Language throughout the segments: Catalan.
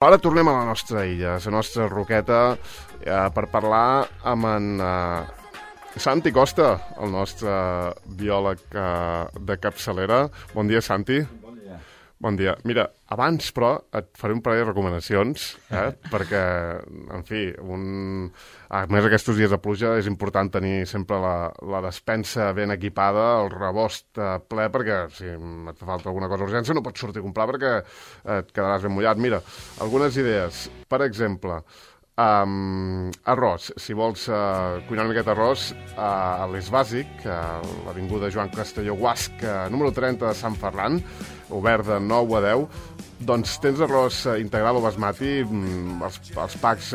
Ara tornem a la nostra illa, a la nostra roqueta, per parlar amb en Santi Costa, el nostre biòleg de capçalera. Bon dia, Santi. Bon dia. Bon dia. Mira, abans, però, et faré un parell de recomanacions, perquè, en fi, a més aquests dies de pluja és important tenir sempre la despensa ben equipada, el rebost ple, perquè si et fa falta alguna cosa d'urgència no pots sortir a comprar perquè et quedaràs ben mullat. Mira, algunes idees. Per exemple, arròs. Si vols cuinar una miqueta arròs, a l'Eix Bàsic, a l'avinguda Joan Castelló Guasc, número 30 de Sant Ferran, obert de 9 a 10, doncs tens arròs integral o basmati. Els packs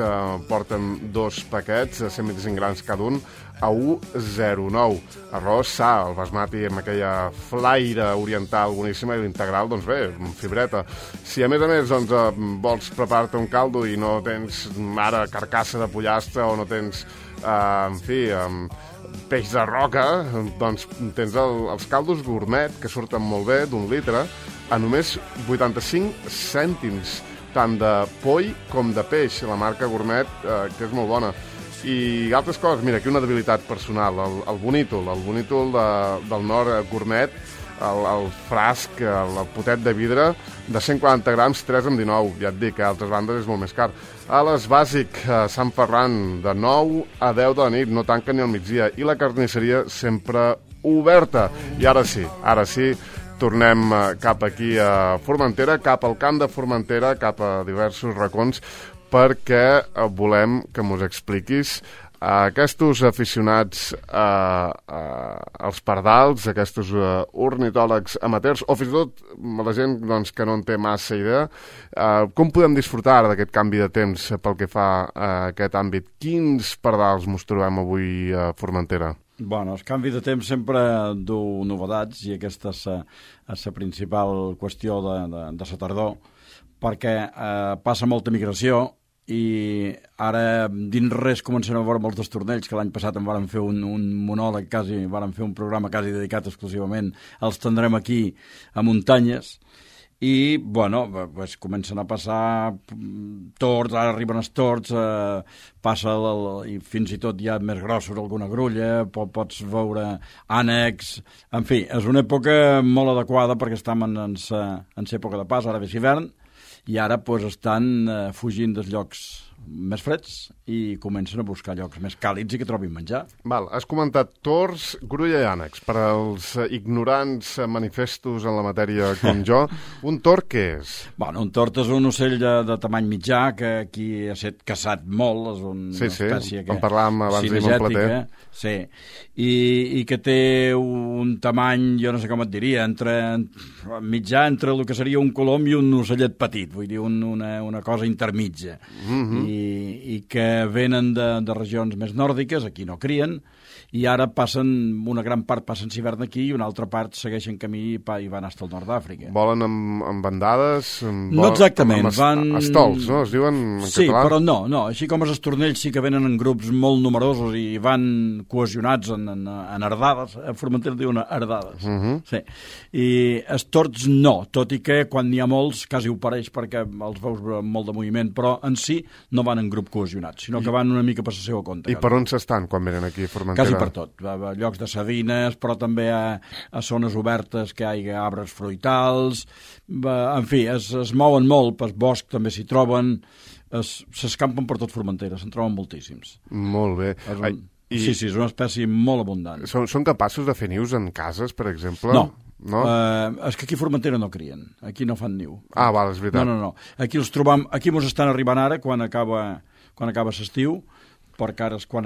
porten 2 paquets, 125 grams cada un, a 1,09. Arròs sa, el basmati amb aquella flaire oriental boníssima, i l'integral, doncs bé, fibreta. Si a més doncs, vols preparar-te un caldo i no tens ara carcassa de pollastre o no tens, en fi, peix de roca, doncs tens els caldos gourmet, que surten molt bé, d'1 litre, a només 85 cèntims, tant de poll com de peix, la marca gourmet, que és molt bona. I altres coses, mira, aquí una debilitat personal, el bonítol del Nord gourmet, el frasc, el potet de vidre, de 140 grams, 3,19. Ja et dic, a altres bandes és molt més car. A l'Eix Bàsic, a Sant Ferran, de 9 a 10 de la nit, no tanquen ni al migdia, i la carnisseria sempre oberta. I ara sí, tornem cap aquí a Formentera, cap al camp de Formentera, cap a diversos racons, perquè volem que mos expliquis aquests aficionats als pardals, aquests ornitòlegs amateurs, o fins i tot la gent doncs, que no en té massa idea, com podem disfrutar d'aquest canvi de temps pel que fa a aquest àmbit? Quins pardals mos trobem avui a Formentera? Bueno, el canvi de temps sempre du novetats, i aquesta és la principal qüestió de la tardor, perquè passa molta migració, i ara dins res comencem a veure molts destornells, que l'any passat en vàrem fer un monòleg, vàrem fer un programa quasi dedicat exclusivament, els tindrem aquí a muntanyes, i, bueno, pues, comencen a passar tords, ara arriben els tords, i fins i tot ja més grossos alguna grulla, pots veure ànecs, en fi, és una època molt adequada perquè estem en l'època de pas, ara ve l'hivern, i ara pues, estan fugint dels llocs més freds i comencen a buscar llocs més càlids i que trobin menjar. Val, has comentat tords, grulla i ànecs. Per als ignorants manifestos en la matèria com jo, un tord què és? Bueno, un tord és un ocell de tamany mitjà que aquí ha estat caçat molt, és una espècie que... en parlàvem abans d'ahir amb el Plater. Sí, i que té un tamany, jo no sé com et diria, mitjà entre el que seria un colom i un ocellet petit, vull dir, una cosa intermitja. I que venen de regions més nòrdiques, aquí no crien, i ara una gran part passen l'hivern aquí i una altra part segueixen camí i van fins al nord d'Àfrica. Volen amb bandades? No exactament. Estols, no? Es diuen en sí, català? Però no. Així com els estornells sí que venen en grups molt numerosos i van cohesionats en herdades. A Formentera diuen herdades. Sí. I els tords no, tot i que quan n'hi ha molts quasi ho pareix perquè els veus molt de moviment, però en si no van en grup cohesionats, sinó que van una mica per la seva compte. I per on s'estan quan venen aquí a Formentera? Quasi per tot. A llocs de sedines, però també a zones obertes que hi ha arbres fruitals. En fi, es mouen molt, pel bosc també s'hi troben, s'escampen per tot Formentera, se'n troben moltíssims. Molt bé. Sí, és una espècie molt abundant. Són capaços de fer nius en cases, per exemple? No. És que aquí a Formentera no crien, aquí no fan niu. Ah, val, és veritat. No. Aquí els trobam, aquí mos estan arribant ara quan acaba l'estiu, perquè ara és quan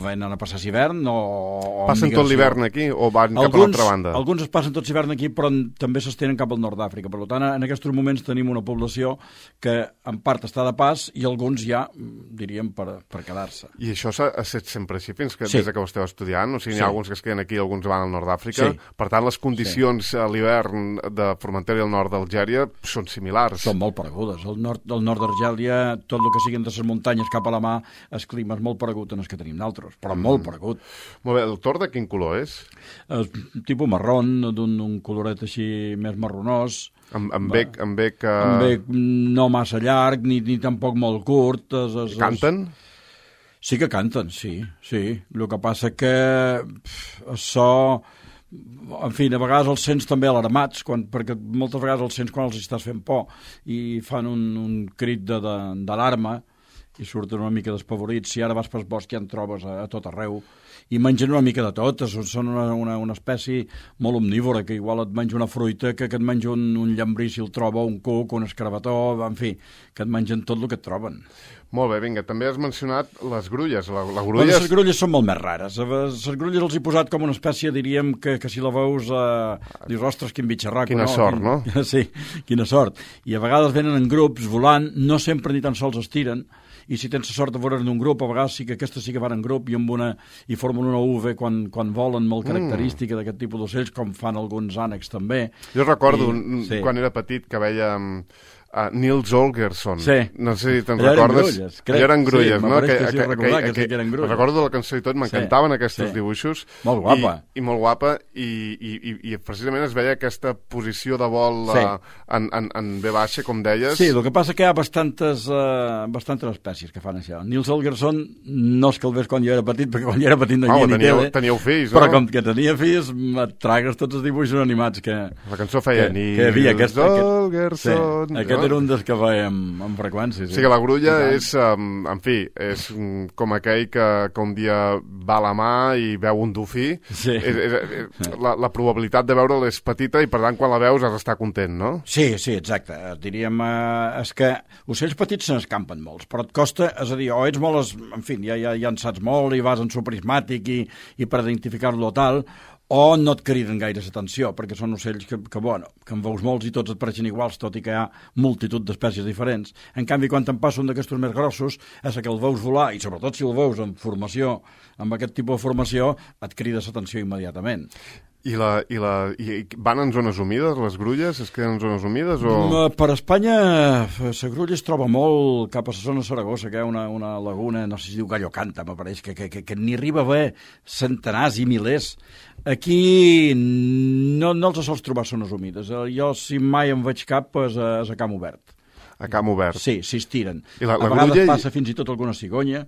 venen a passar l'hivern o passen tot l'hivern aquí o van cap a l'altra banda? Alguns es passen tot l'hivern aquí, però també s'estenen cap al nord d'Àfrica. Per tant, en aquests moments tenim una població que en part està de pas i alguns ja, diríem, per quedar-se. I això s'ha estat sempre així des que ho esteu estudiant? O sigui, n'hi ha alguns que es queden aquí i alguns van al nord d'Àfrica. Sí. Per tant, les condicions a l'hivern de Formentera i el nord d'Algèria són similars. Són molt paregudes. Al nord d'Argèlia, tot el que siguin de les muntanyes cap a la mar, el clima és molt paregut en el que tenim nosaltres, però molt paregut. Molt bé, el tord de quin color és? Tipus marrón, d'un coloret així més marronós. Amb bec no massa llarg, ni tampoc molt curt. Canten? Sí que canten, sí. El que passa que això... En fi, a vegades els sents també alarmats, perquè moltes vegades els sents quan els estàs fent por i fan un crit d'alarma i surten una mica despavorits. Si ara vas pel bosc ja en trobes a tot arreu i mengen una mica de tot. Són una espècie molt omnívora, que igual et menja una fruita, que et menja un llambrí si el troba, un cuc, un escarabató, en fi, que et mengen tot el que et troben. Molt bé, vinga, també has mencionat les grulles. Les grulles són molt més rares. Les grulles els he posat com una espècie, diríem, que si la veus dius, ostres, quin bitxarraco. Quina sort, no? Sí, quina sort. I a vegades venen en grups volant, no sempre ni tan sols es tiren, i si tens la sort de veure'n un grup, a vegades sí que aquestes sí que van en grup i formen una UV quan volen, molt característica d'aquest tipus d'ocells, com fan alguns ànecs també. Jo recordo, quan era petit, que veia... Nils Holgersson. Sí. No sé si te'n recordes. Allò eren grulles, no? Que eren grulles. Recordo la cançó i tot, m'encantaven aquests dibuixos. Molt guapa. I molt guapa, i precisament es veia aquesta posició de vol en V baixa, com deies. Sí, el que passa que hi ha bastantes espècies que fan això. Nils Holgersson no és que el ves quan jo era petit, perquè quan jo era petit no hi havia ni tele. Teníeu fills, no? Però com que tenia fills, et tragues tots els dibuixos animats que... La cançó feia Nils Holgersson... Era un dels que veiem amb freqüència. Sí, que la grulla és, en fi, és com aquell que un dia va a la mà i veu un dofí. Sí. La probabilitat de veure'l és petita i, per tant, quan la veus has d'estar content, no? Sí, exacte. Diríem, és que ocells petits se n'escampen molts, però et costa, és a dir, o ets molt... En fi, ja en saps molt i vas en suprismàtic i per identificar-lo tal... o no et criden gaire l'atenció, perquè són ocells que en veus molts i tots et pareixen iguals, tot i que hi ha multitud d'espècies diferents. En canvi, quan te'n passa un d'aquestos més grossos, és que el veus volar, i sobretot si el veus en formació, amb aquest tipus de formació, et crida l'atenció immediatament. I van en zones humides, les grulles? Es queden en zones humides? O... Per Espanya, la grulla es troba molt cap a la zona de Saragossa, que hi ha una laguna, no sé si diu Gallocanta, m'apareix, que n'hi arriba a haver centenars i milers. Aquí no els sols trobar zones humides. Jo, si mai en veig cap, és a camp obert. A camp obert? Sí, estiren. A vegades passa fins i tot alguna cigonya,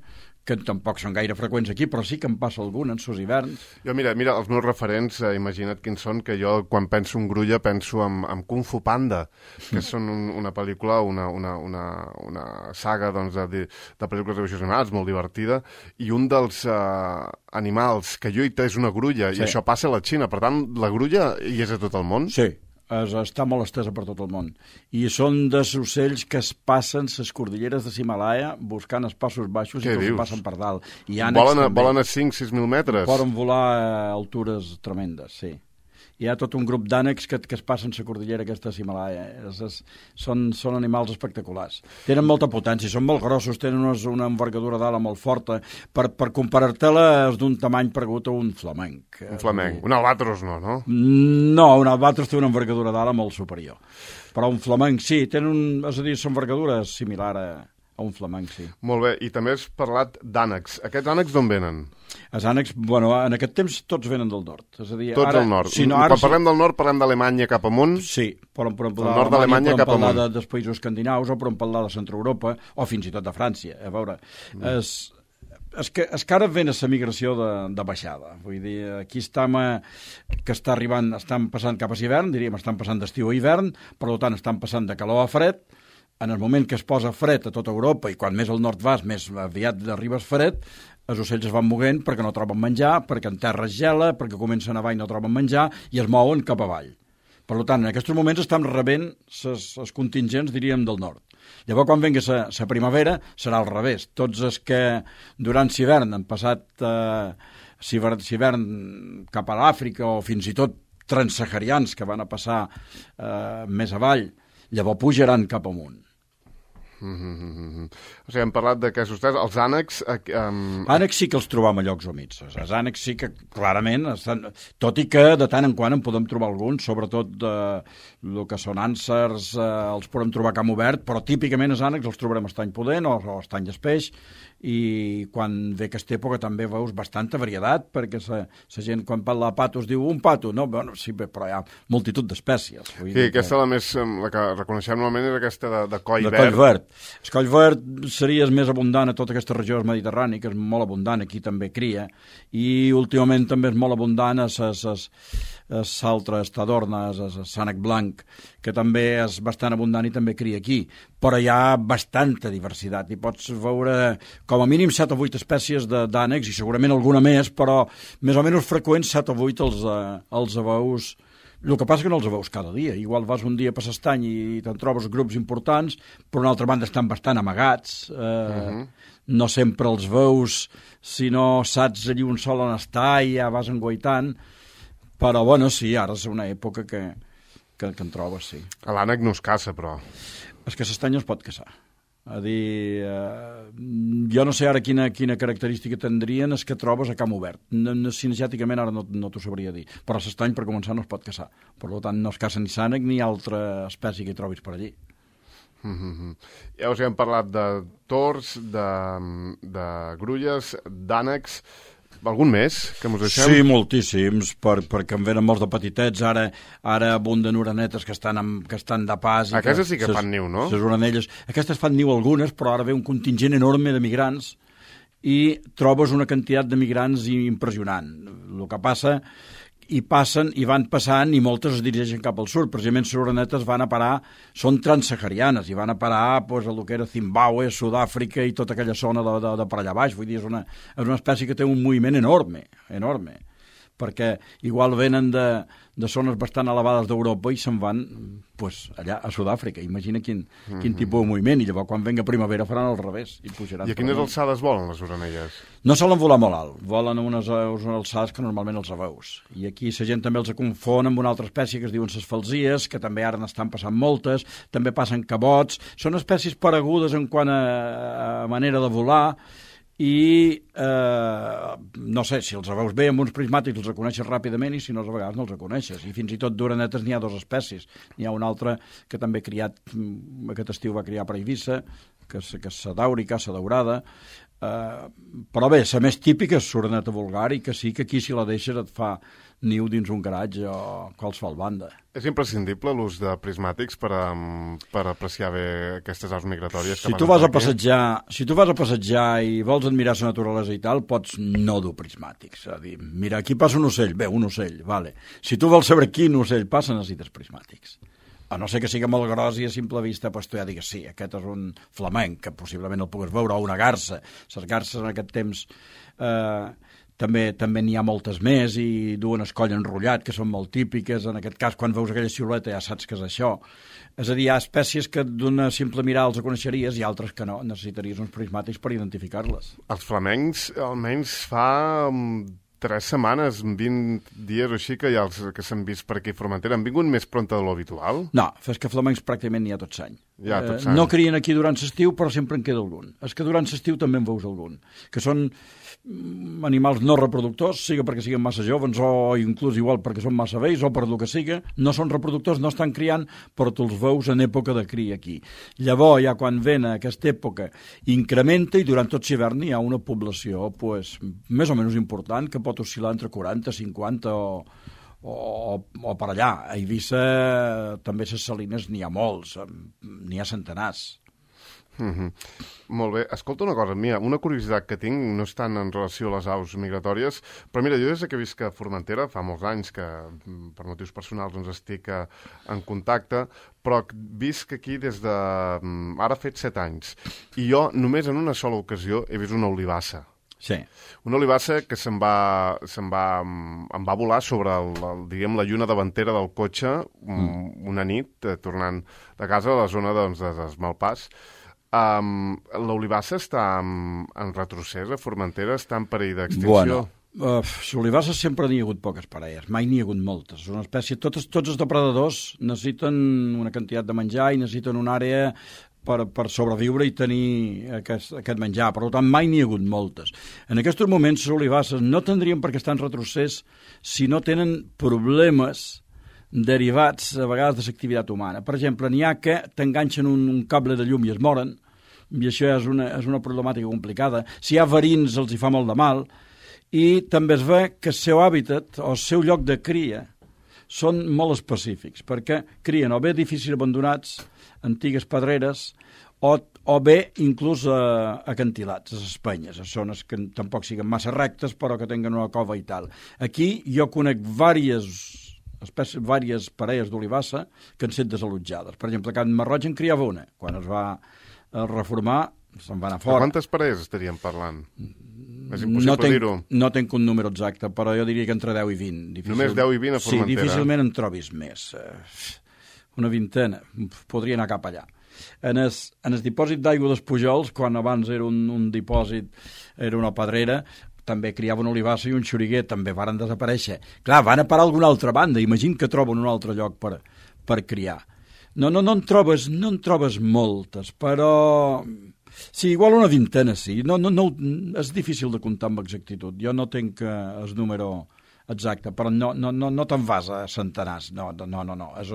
que tampoc són gaire freqüents aquí, però sí que en passa algun en sos hiverns. Jo, mira, els meus referents, imagina't quins són, que jo, quan penso en grulla, penso en Kung Fu Panda, que són una pel·lícula, una saga doncs, de pel·lícules de dibuixos animats, molt divertida, i un dels animals que lluita és una grulla, i això passa a la Xina. Per tant, la grulla hi és a tot el món? Sí. Està molt estesa per tot el món. I són dels ocells que es passen les cordilleres de l'Himalaya buscant els passos baixos i que els passen per dalt. Volen a 5-6.000 metres? Poden volar a altures tremendes, sí. Hi ha tot un grup d'ànecs que es passen la cordillera aquesta de l'Himalaya. Són animals espectaculars. Tenen molta potència, són molt grossos, tenen una envergadura d'ala molt forta. Per comparar-te-la és d'un tamany paregut a un flamenc. Un flamenc. Un albatros no? No, un albatros té una envergadura d'ala molt superior. Però un flamenc sí, és a dir, l'envergadura és similar a un flamenc, sí. Molt bé, i també has parlat d'ànecs. Aquests ànecs d'on venen? Els ànecs, en aquest temps tots venen del nord. És a dir, tots del nord. Quan parlem del nord, parlem d'Alemanya cap amunt? Sí, podem parlar del nord d'Alemanya cap amunt. Dels països escandinaus, o podem parlar de Centroeuropa, o fins i tot de Frància. A veure, és que ara ven la migració de baixada. Vull dir, aquí que estan passant cap a l'hivern, diríem, estan passant d'estiu a hivern, per tant, estan passant de calor a fred. En el moment que es posa fred a tota Europa, i quan més al nord vas, més aviat arribes fred, els ocells es van moguent perquè no troben menjar, perquè en terra es gela, perquè comença a nevar i no troben menjar, i es mouen cap avall. Per tant, en aquests moments estan rebent els contingents, diríem, del nord. Llavors, quan vengui la primavera, serà al revés. Tots els que durant l'hivern han passat l'hivern cap a l'Àfrica, o fins i tot transsaharians que van a passar més avall, llavors pujaran cap amunt. O sigui, hem parlat d'aquests tres. Els ànecs... Ànecs sí que els trobam a llocs humits. Els ànecs sí que clarament estan... Tot i que de tant en quant en podem trobar alguns, sobretot el que són ànsers, els podem trobar a camp obert, però típicament els ànecs els trobarem a estany pudent o a estany d'espeix, i quan ve aquesta època també veus bastanta varietat, perquè la gent quan parla de patos diu un pato, no? Bueno, sí, però hi ha multitud d'espècies. Sí, aquesta la que reconeixem normalment és aquesta de coll verd. Coll verd. El coll verd seria més abundant a tota aquesta regió mediterrània, que és molt abundant, aquí també cria, i últimament també és molt abundant a l'altre estadorna, a l'ànec blanc, que també és bastant abundant i també cria aquí. Però hi ha bastanta diversitat i pots veure com a mínim 7 o 8 espècies d'ànecs, i segurament alguna més, però més o menys freqüents 7 o 8 els veus. El que passa que no els veus cada dia. Igual vas un dia per l'estany i te'n trobes grups importants, però d'una altra banda estan bastant amagats. No sempre els veus, si no saps allí un sol on està i ja vas enguaitant. Però, bueno, sí, ara és una època que en trobes, sí. L'ànec no es caça, però... És que l'estany no es pot caçar. A dir, jo no sé ara quina característica tindrien els que trobes a camp obert. Cinegèticament ara no t'ho sabria dir. Però l'estany, per començar, no es pot caçar. Per tant, no es caça ni ànec ni altra espècie que hi trobis per allí. Ja us hem parlat de tors, de grulles, d'ànecs... Algun més que mos deixem? Sí, moltíssims, perquè en venen molts de petitets. Ara abunden orenetes que estan de pas. Aquestes sí que fan niu, no? Les orenelles. Aquestes fan niu algunes, però ara ve un contingent enorme de migrants i trobes una quantitat de migrants impressionant. El que passa... i van passant i moltes es dirigeixen cap al sud. Precisament les orenetes van a parar, són transsaharianes i van a parar pues, a lo que era Zimbàbue, Sud-àfrica i tota aquella zona de per allà baix. Vull dir, és una espècie que té un moviment enorme, perquè igual venen de zones bastant elevades d'Europa i se'n van pues, allà a Sud-àfrica. Imagina quin tipus de moviment, i llavors quan venga primavera faran al revés. I a quines alçades volen les orenelles? No solen volar molt alt, volen a unes alçades que normalment els veus. I aquí la gent també els confon amb una altra espècie que es diuen les falsies, que també ara n'estan passant moltes, també passen cabots, són espècies paregudes en quant a manera de volar, i no sé, si els veus bé amb uns prismàtics els reconeixes ràpidament, i si no, a vegades no els reconeixes. I fins i tot d'orenetes n'hi ha 2 espècies. N'hi ha una altra que també aquest estiu va criar per Eivissa, que és la dàurica, la daurada, però bé, la més típica és l'oreneta vulgar, i que sí que aquí si la deixes et fa niu dins un garatge o qualsevol banda. És imprescindible l'ús de prismàtics per apreciar bé aquestes aus migratòries? Si tu vas a passejar i vols admirar la naturalesa i tal, pots no dur prismàtics. És a dir, mira, aquí passa un ocell. Bé, un ocell, vale. Si tu vols saber quin ocell passa, necessites prismàtics. A no ser que sigui molt gros i a simple vista pues, tu ja digues, sí, aquest és un flamenc, que possiblement el pugues veure, o una garça. Les garces en aquest temps també n'hi ha moltes més i duen el coll enrotllat, que són molt típiques. En aquest cas, quan veus aquella silueta ja saps que és això. És a dir, hi ha espècies que d'una simple mirada els coneixeries i altres que no. Necessitaries uns prismàtics per identificar-les. Els flamencs almenys fa 3 setmanes, 20 dies o així, que hi ha els que s'han vist per aquí a Formentera. Han vingut més prompte de l'habitual? No, és que flamencs pràcticament n'hi ha tot l'any. No crien aquí durant l'estiu, però sempre en queda algun. És que durant l'estiu també en veus algun, que són animals no reproductors, siga perquè siguin massa joves o inclús igual perquè són massa vells o per el que siga, no són reproductors, no estan criant, però tu els veus en època de cria aquí. Llavors, ja quan ven aquesta època, incrementa i durant tot l'hivern hi ha una població pues, més o menys important que pot oscil·lar entre 40, 50 o per allà. A Eivissa també les salines n'hi ha molts, n'hi ha centenars. Molt bé. Escolta una cosa, mira, una curiositat que tinc, no és tant en relació a les aus migratòries, però mira, jo des que visc a Formentera, fa molts anys que per motius personals doncs estic en contacte, però visc aquí des de... ara ha fet 7 anys, i jo només en una sola ocasió he vist una olivassa. Sí. Una olivassa que em va volar sobre diguem, la lluna davantera del cotxe una nit, tornant de casa a la zona doncs, dels Malpàs. L'olivassa està en retrocés a Formentera? Està en perill d'extinció? Bueno, l'olivassa sempre n'hi ha hagut poques parelles, mai n'hi ha hagut moltes. És una espècie, tots els depredadors necessiten una quantitat de menjar i necessiten una àrea per sobreviure i tenir aquest menjar. Per tant, mai n'hi ha hagut moltes. En aquests moments, les olivasses no tindrien per què estar en retrocés si no tenen problemes derivats, a vegades, de l'activitat humana. Per exemple, n'hi ha que t'enganxen un cable de llum i es moren, i això és una problemàtica complicada. Si hi ha verins, els hi fa molt de mal, i també es ve que el seu hàbitat o el seu lloc de cria són molt específics, perquè crien o bé edificis abandonats, antigues pedreres, o bé inclús acantilats, les penyes, a zones que tampoc siguin massa rectes, però que tenen una cova i tal. Aquí jo conec diverses parelles d'olivassa que han estat desallotjades. Per exemple, a Can Marroig en criava una. Quan es va reformar, se'n va anar fora. De quantes parelles estaríem parlant? És impossible dir-ho. No tenc un número exacte, però jo diria que entre 10 i 20. Només 10 i 20 a Formentera? Sí, difícilment en trobis més. Una vintena. Podria anar cap allà. En el dipòsit d'aigua dels Pujols, quan abans era un dipòsit, era una pedrera, també criava una olivassa i un xoriguer, també varen desaparèixer. Clar, van a parar a alguna altra banda, imagina que troben un altre lloc per criar. No en trobes moltes, però sí, igual una vintena, sí. No, és difícil de comptar amb exactitud. Jo no tenc el número exacte, però no te'n vas a centenars. No. És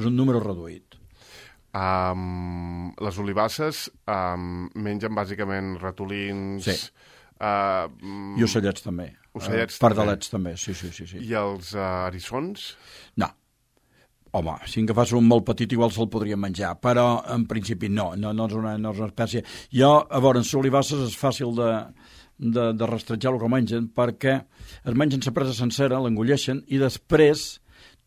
un número reduït. Les olivasses mengen bàsicament ratolins... Sí. I ocellets també. Pardalets també, sí. I els eriçons? No. Home, si en agafàs un molt petit igual se'l podria menjar, però en principi no és una espècie. Jo, a veure, en les olivasses és fàcil de rastrejar el que mengen, perquè es mengen la presa sencera, l'engolleixen, i després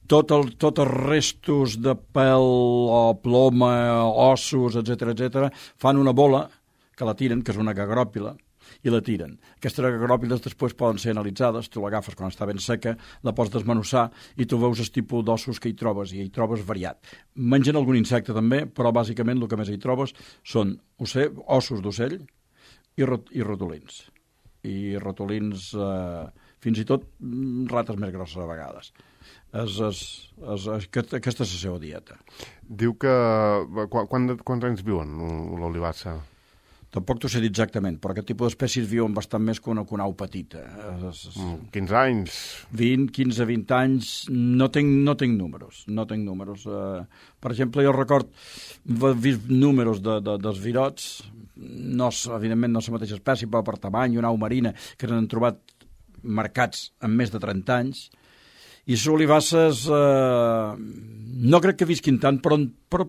tots els restos de pèl o ploma, ossos, etc, fan una bola que la tiren, que és una gagròpila, i la tiren. Aquestes gagròpiles després poden ser analitzades, tu l'agafes quan està ben seca, la pots desmenussar i tu veus el tipus d'ossos que hi trobes, i hi trobes variat. Mengen algun insecte també, però bàsicament el que més hi trobes són ossos d'ocell i ratolins. I ratolins, fins i tot rates més grosses a vegades. Aquesta és la seva dieta. Diu que... Quants anys viuen l'olivassa? Tampoc t'ho sé dir exactament, però aquest tipus d'espècies viuen bastant més que una au petita. 15 anys? 15-20 anys, no tinc números. Per exemple, jo record, he vist números dels virots, evidentment no és la mateixa espècie, però per tamany, una au marina, que s'han trobat marcats amb més de 30 anys, i les olivasses no crec que visquin tant, però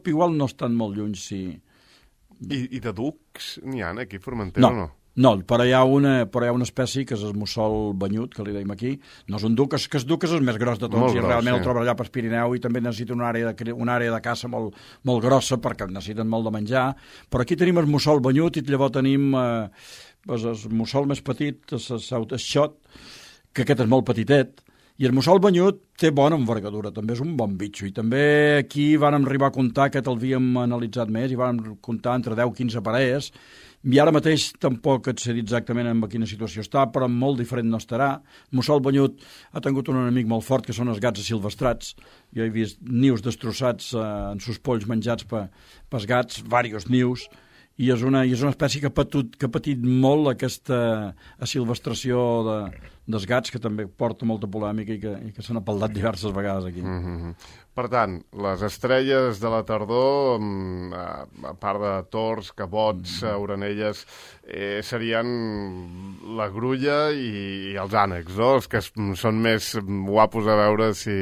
igual no estan molt lluny, sí. I de ducs n'hi ha aquí a Formentera o no? No, però hi ha una espècie que és el mussol banyut, que li deim aquí. No és un duc, que el duc és el més gros de tots, i realment el trobes allà per Pirineu, i també necessita una àrea de caça molt grossa, perquè necessiten molt de menjar. Però aquí tenim el mussol banyut, i llavors tenim el mussol més petit, el xot, que aquest és molt petitet. I el mussol banyut té bona envergadura, també és un bon bitxo. I també aquí vam arribar a comptar, que l'havíem analitzat més, i vam comptar entre 10-15 parelles. I ara mateix tampoc et sé dir exactament en quina situació està, però molt diferent no estarà. El mussol banyut ha tingut un enemic molt fort, que són els gats asilvestrats. Jo he vist nius destrossats en sus polls menjats pels gats, diversos nius, i és una espècie que ha patit molt aquesta asilvestració dels gats, que també porta molta polèmica i que s'han apeldat diverses vegades aquí. Per tant, les estrelles de la tardor, a part de tors, cabots, orenelles, serien la grulla i els ànecs, no? Els que són més guapos a veure si...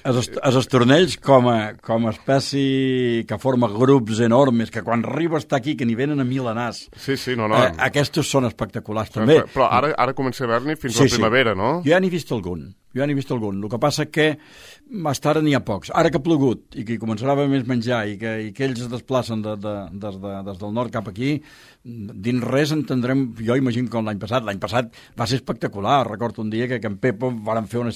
Els estornells, com a espècie que forma grups enormes, que quan arriba a estar aquí, que n'hi venen a milenars. Sí, no. Aquests són espectaculars, també. Però ara comença a haver-n'hi fins a la primavera, no? Jo ja n'he vist algun. El que passa que fins ara n'hi ha pocs. Ara que ha plogut i que començarà a haver més menjar i que ells es desplacen des del nord cap aquí, dins res entendrem, jo imagino com l'any passat. L'any passat va ser espectacular. Recordo un dia que en Pepo van fer una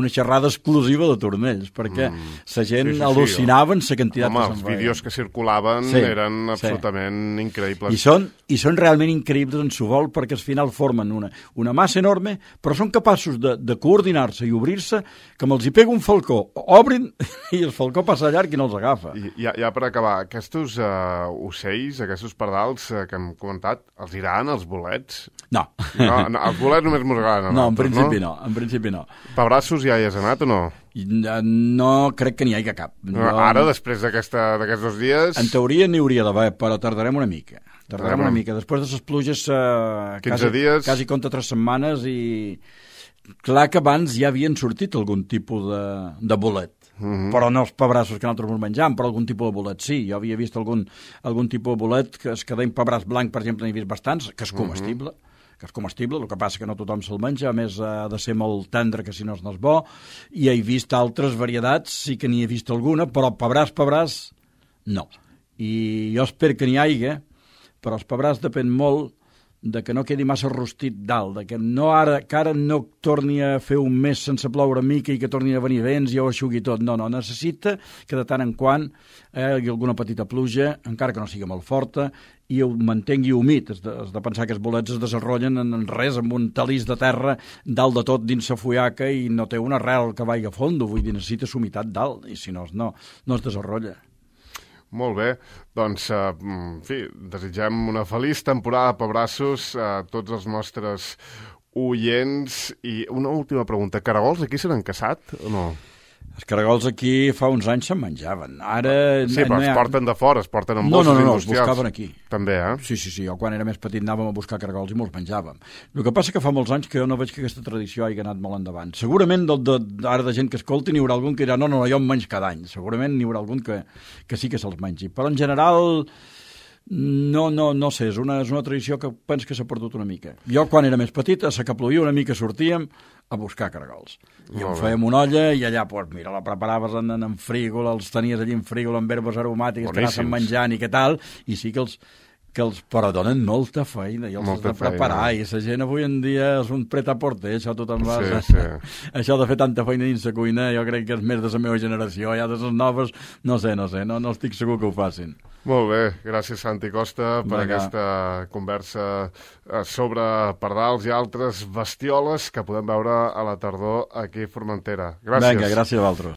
xerrada exclusiva de tornells, perquè la gent al·lucinava en la quantitat que se'n veia. Els vídeos que circulaven eren absolutament increïbles. I són realment increïbles en su vol, perquè al final formen una massa enorme, però són capaços de de coordinar-se i obrir-se, que me'ls hi pega un falcó, obrin i el falcó passa llarg i no els agafa. I ja per acabar, aquests ocells, aquests pardals que hem comentat, els agraden els bolets? No. No, els bolets només mos agraden. No, en principi no. Pebrassos ja hi has anat o no? No crec que n'hi hagi cap. Ara, després d'aquests 2 dies... En teoria n'hi hauria d'haver, però tardarem una mica. Després de les pluges, 15 dies... quasi compta 3 setmanes i... Clar que abans ja havien sortit algun tipus de bolet, però no els pebrassos que nosaltres ens menjam, però algun tipus de bolet sí. Jo havia vist algun tipus de bolet que es queda en pebràs blanc, per exemple, n'he vist bastants, que és comestible, el que passa que no tothom se'l menja, a més ha de ser molt tendre, que si no és bo, i he vist altres varietats, sí que n'hi he vist alguna, però pebràs, no. I jo espero que n'hi hagi, però els pebràs depèn molt de que no quedi massa rostit dalt, de que ara no torni a fer un mes sense ploure mica i que torni a venir vents i ho aixugui tot. No, necessita que de tant en quant hi hagi alguna petita pluja, encara que no sigui molt forta, i ho mantengui humit. Has de pensar que els bolets es desenvolupen en res, amb un talís de terra dalt de tot dins la fullaca i no té una arrel que vagi a fondo, vull dir, necessita humitat dalt, i si no es desenvolupa. Molt bé, doncs, en fi, desitgem una feliç temporada de pebrassos a tots els nostres oients. I una última pregunta, caragols aquí se n'han caçat o no? Els caragols aquí fa uns anys se'n menjaven. Ara... Sí, però es porten de fora, es porten en bosses industrials. No, els buscaven aquí. També, Sí, jo quan era més petit anàvem a buscar caragols i me'ls menjàvem. El que passa que fa molts anys que jo no veig que aquesta tradició hagi anat molt endavant. Segurament ara de gent que escolti n'hi haurà algun que dirà no, jo em menys cada any. Segurament n'hi haurà algun que sí que se'ls mengi. Però en general... No sé, és una tradició que penso que s'ha perdut una mica. Jo, quan era més petit, a la que plovia una mica sortíem a buscar caragols. I en fèiem una olla i allà, la preparaves en frígol, els tenies allà en frígol amb herbes aromàtiques, que anaven menjant i què tal, i sí que els però donen molta feina i els has de preparar, i la gent avui en dia és un pret-a-porter, això tothom va... Sí. Això de fer tanta feina dins la cuina jo crec que és més de la meva generació, ja de les noves no estic segur que ho facin. Molt bé, gràcies Santi Costa per aquesta conversa sobre pardals i altres bestioles que podem veure a la tardor aquí a Formentera. Gràcies. Vinga, gràcies a vosaltres.